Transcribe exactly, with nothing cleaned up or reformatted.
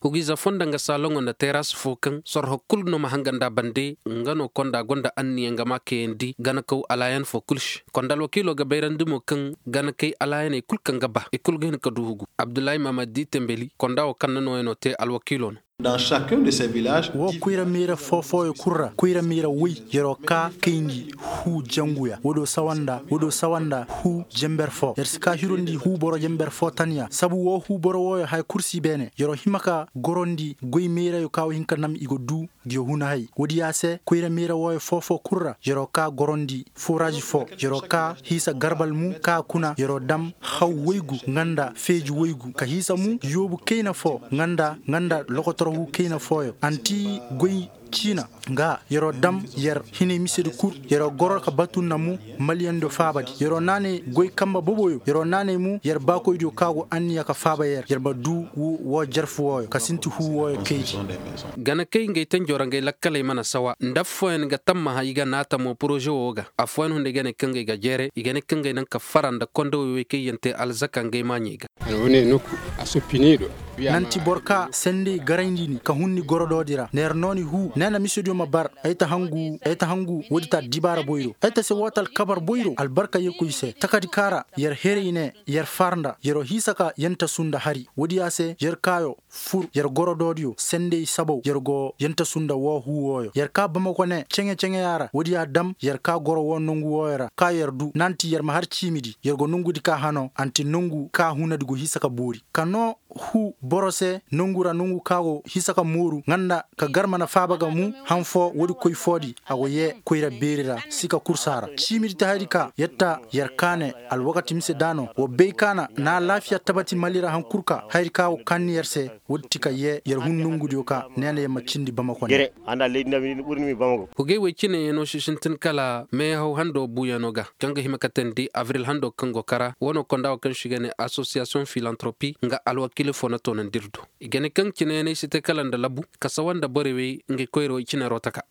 Hugiize foo nda nga saaloŋo nda teras foo kaŋ sorho kul no ma hanga nd'a bande. Nga no konda gonda anniya nga ma kayandi ganakaw alaayan foo kul se. Konda alwakiilo ga bayrandi mo kaŋ ganakay alaayaney kul kaŋ ga ba i kul ga hin ka du hugu. Abdullahi mahamad di tembeli konda woo kaŋ na nooyanoo te alwakiilo no. Woo koyra meera foo fooyo kul ra koyra meera woy, yer'o kaa kayndi huu janguya woodoo sawa nda huu jenber foo yer si kaa hirondi huu boro jenber foo tanya sabu woo huu boro wooyo haya kul si beene yer'o hima ka gorondi goy meerayo kaa woo hin ka nam i go duu. Ngi yo huna hay woodi yaa se koyra meera wooyo foo foo kul ra yer'o kaa gorondi fooraaz foo, yer'o kaa hiisa garba almu kaa kuna yer'o dam haw woygu nga nda feeji woygu ka hiisa mu yoobu kayna foo nga nda nga nda lokotorhu kayna fooyo anti goy ciina. Nga yer'o dam yer hinay misedi kul yer'o goro ka batu nda mu maliyando faabadi yer'o naanay goy kanba boboyo yer'o naanay mu yer baakoydiyo kaa go anniya ka faaba yer yer ma duu woo jerfu wooyo ka sinti huu wooyo kaydi. Gana kay ngey tenjoo ra ngey lakkaley mana sawa nda affooyaŋ ga tammaha i ga naata mo poroze woo ga. Affooyaŋ hunday ga ne kaŋ ga i ga jeere i ga ne kaŋ ga i naŋ ka fara nda konda woy woy kaŋ i yaŋ te alzaka ngey maaɲey ga. Nanti boro ka sendey garayndi ni ka hun ni gorodoodi ra neer nooni huu ne na misediyo ma bar. Ay ta hangu ay ta hangu woodi ta dibaara boyro ay ta se woo ta alkabar boyro albarka yee koy se takadi kaa ra yer heray ne yer far nda yer'o hiisa ka yentasu nda hari woodi yaa se yer kaayo fur yer gorodoodiyo sendey sabaw yer go yentasu nda woo huu wooyo yer kaa bamako ne ceŋe-ceŋeyaa ra woodiyaa dam yer kaa goro woo nongu wooyo ra kaa yer du nanti yer ma har ciimidi yer go nongudi kaa hanoo anti nongu kaa hunadi go hiisa ka boori ka noo huu boro se nongu ra nongu kaa go hiisa ka mooru nga nda ka gar mana faaba ga mu han foo woodi koy foodi a go yee koyra beeri ra sika kursa ra ciimidi ta hayadi ka yer ta yer kaane alwakati mise daano wa bay kaana na alaafiya tabati mali ra han kul ka hayadi ka go kaani yer se woodi ti ka yee yer hun nongudiyo ka neena yer ma cindi bamako ne. Hugey woy cineyaŋo si sintin kala meehaw hando buuyaŋo ga kaŋ ga hima katandi abril hando kaŋ go kara wano konda wo kaŋ si ga ne asosiyasiyoŋ filantropi nga alwakiili fo na toonandi ir do. I ga ne kaŋ cineyaŋey si te kala nda labu ka sawa nda borey wey nga koyra wey cine roo taka.